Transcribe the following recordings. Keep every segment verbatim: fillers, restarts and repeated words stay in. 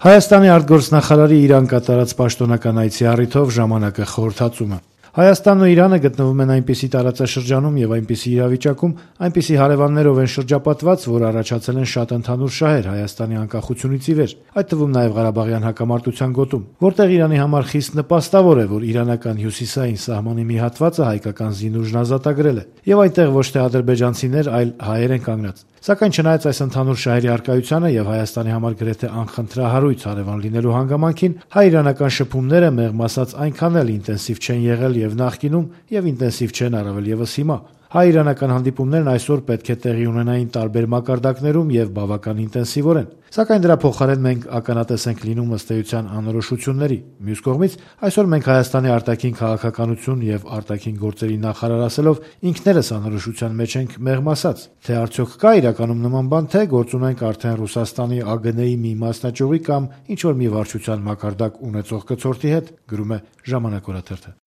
Հայաստանի արտգործնախարարի Իրան կատարած պաշտոնական այցի առիթով «Ժամանակ»-ը խորհրդածում է. Հայաստանն ու Իրանը գտնվում են այնպիսի տարածաշրջանում եւ այնպիսի իրավիճակում, այնպիսի հարևաններով են շրջապատված, որ առաջացել են շատ ընդհանուր շահեր Հայաստանի անկախությունից ի վեր, այդ թվում նաեւ Ղարաբաղյան հակամարտության գոտում, որտեղ Իրանի համար խիստ նպաստավոր է, որ իրանական հյուսիսային սահմանի մի հատվածը հայկական զինուժն ազատագրել է, եւ այնտեղ ոչ թե ադրբեջանցիներ, այլ հայեր են կանգնած։ Սակայն չնայած այս ընդհանուր շահերի առկայությանը եւ Հայաստանի համար գրեթե անխնդրահարույց հարևան լինելու հանգամանքին, հայ-իրանական շփումները մեղմ ասած այնքան էլ ինտենսիվ չեն եղել եւ նախկինում եւ ինտենսիվ չեն առավել եւս հիմա։ Հայ-իրանական հանդիպումներն այսօր պետք է տեղի ունենային տարբեր մակարդակներում եւ բավական ինտենսիվորեն։ Սակայն դրա փոխարեն մենք ականատես ենք լինում ըստ էության անորոշությունների։ Մյուս կողմից, այսօր մենք Հայաստանի արտաքին քաղաքականություն եւ արտաքին գործերի նախարար ասելով ինքներս անորոշության մեջ ենք մեղմ ասած, թե արդյոք կա իրականում նման բան, թե գործում ենք արդեն Ռուսաստանի ԱԳՆ-ի մի մասնաճյուղի կամ ինչ որ մի վարչության մակարդակ ունեցող կցորդի հետ, գրում է «Ժամանակ» օրաթերթը։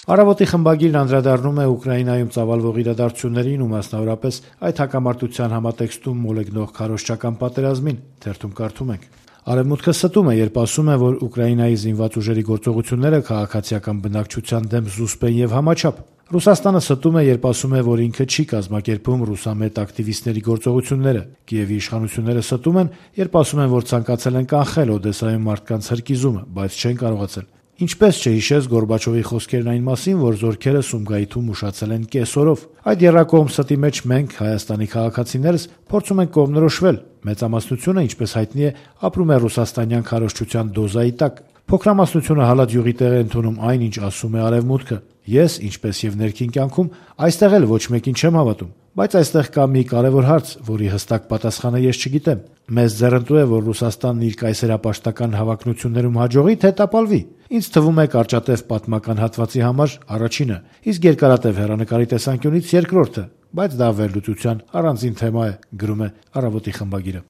Առավոտի խմբագիրն անդրադառնում է Ուկրաինայում ծավալվող իրադարձություններին ու մասնավորապես այդ հակամարտության համատեքստում մոլեգնող քարոզչական պատերազմին, թերթում կարդում ենք. Արևմուտքը ստում է, երբ ասում է, որ Ուկրաինայի զինված ուժերի գործողությունները քաղաքացիական բնակչության դեմ զուսպ են եւ համաչափ։ Ռուսաստանը ստում է, երբ ասում է, որ ինքը չի կազմակերպում ռուսամետ ակտիվիստների գործողությունները։ Կիևի իշխանությունները ստում են, երբ ասում են, որ ցանկացել են կանխել Օդեսայում մարդկանց հրկիզումը, բայց չեն կարողացել։ Ինչպես չհիշես Գորբաչովի խոսքերն այն մասին, որ զորքերը Սումգայիթում ուշացել են կեսօրով։ Այդ եռակողմ ստի մեջ մենք, Հայաստանի քաղաքացիներս, փորձում ենք կողմնորոշվել։ Մեծամասնությունը, ինչպես հայտնի է, ապրում է ռուսաստանյան քարոզչության դոզայի տակ։ Փոքրամասնությունը հալած յուղի տեղ է ընդունում այն, ինչ ասում է Արևմուտքը։ Ես, ինչպես եւ ներքին կյանքում, այստեղ էլ ոչ մեկին չեմ հավատում։ Բայց այստեղ կա մի կարևոր հարց, որի հստակ պատասխանը ես չգիտեմ։ Մեզ ձեռնտու է, որ Ռուսաստանն իր կայսերապաշտական հավակնություններում հաջողի, թե տապալվի։ Ինձ թվում է կարճատև պատմական հատվածի համար առաջինը, իսկ երկարատև հեռանկարի տեսանկյունից երկրորդը, բայց դա վերլուծության առանձին թեմա է, գրում է «Առավոտի» խմբագիրը։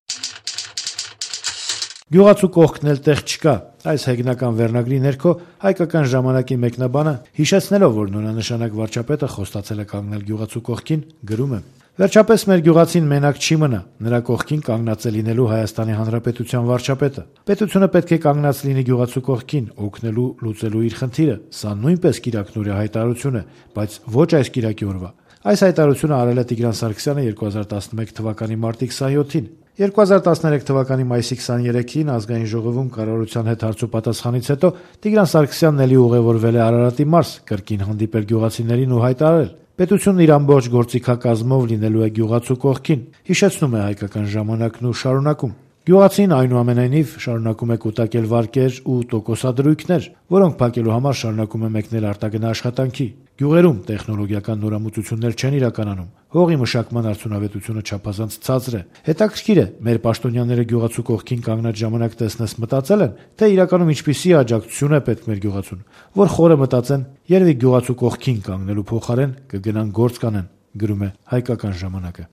Գյուղացու կողքն էլ տեղ չկա։ Այս հեգնական վերնագրի ներքո հայկական ժամանակի մեկնաբանը, հիշեցնելով, որ նորանշանակ վարչապետը խոստացել է կանգնել գյուղացու կողքին, գրում է. Վերջապես մեր գյուղացին մենակ չի մնա, նրա կողքին կանգնած է լինելու Հայաստանի Հանրապետության վարչապետը։ Պետությունը պետք է կանգնած լինի գյուղացու կողքին, օգնելու լուծելու իր խնդիրը։ Սա նույնպես կիրակնորյա հայտարարություն է, բայց ոչ այս կիրակի օրվա։ Այս հայտարարությունը արել է Տիգրան Սարգսյանը երկու հազար տասնմեկ թվականի մարտի քսաներկուին։ երկու հազար տասներեք թվականի մայիսի քսաներեքին ազգային ժողովում կառավարության հետ հարցոպատասխանից հետո Տիգրան Սարգսյանն էլի ուղևորվել է Արարատի մարզ, կրկին հանդիպել գյուղացիներին ու հայտարարել. Պետությունն իր ամբողջ գործիքակազմով լինելու է գյուղացու կողքին, հիշեցնում է հայկական ժամանակն ու շարունակում. Գյուղացին այնուամենայնիվ շարունակում է կուտակել վարկեր ու տոկոսադրույքներ, որոնք փակելու համար շարունակում է մեկնել արտագնա աշխատանքի։ Գյուղերում տեխնոլոգիական նորամուծություններ չեն իրականանում։ Հողի մշակման արդյունավետությունը չափազանց ցածր է։ Հետաքրքիր է, մեր պաշտոնյաները գյուղացու կողքին կանգնած ժամանակ տեսնես մտածել են, թե իրականում ինչպիսի աջակցություն է պետք մեր գյուղացուն, որ խորը մտածեն, երևի գյուղացու կողքին կանգնելու փոխարեն կգնան գործ կանեն, գրում է հայկական ժամանակը։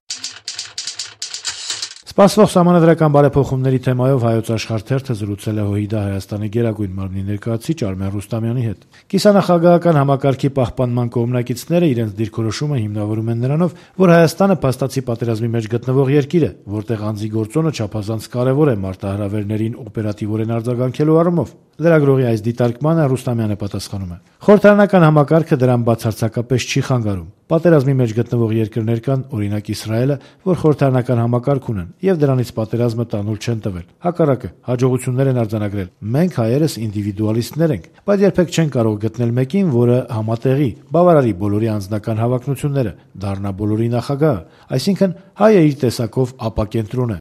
Սպասվող սահմանադրական բարեփոխումների թեմայով Հայոց Աշխարհ թերթը զրուցել է ՀՅԴ Հայաստանի գերագույն մարմնի ներկայացուցիչ Արմեն Ռուստամյանի հետ։ Կիսանախագահական համակարգի պահպանման կողմնակիցները իրենց դիրքորոշումը հիմնավորում են նրանով, որ Հայաստանը փաստացի պատերազմի մեջ գտնվող երկիր է, որտեղ անձի գործոնը չափազանց կարևոր է մարտահրավերներին օպերատիվորեն արձագանքելու առումով։ Լրագրողի այս դիտարկմանը Ռուստամյանը պատասխանում է. Խորհրդարանական համակարգը դրան բացարձակապես չի խանգարում։ Պատերազմի մեջ գտնվող երկրներ կան, օրինակ Իսրայելը, որ խորհրդարանական համակարգ ունեն եւ դրանից պատերազմը տանուլ չեն տվել։ Հակառակը, հաջողություններ են արձանագրել։ Մենք հայերս ինդիվիդուալիստներ ենք, բայց երբեք չեն կարող գտնել մեկին, որը համատեղի, բավարարի բոլորի անձնական հավակնությունները, դառնա բոլորի նախագահը, այսինքն հայը իր տեսակով ապակենտրոն է։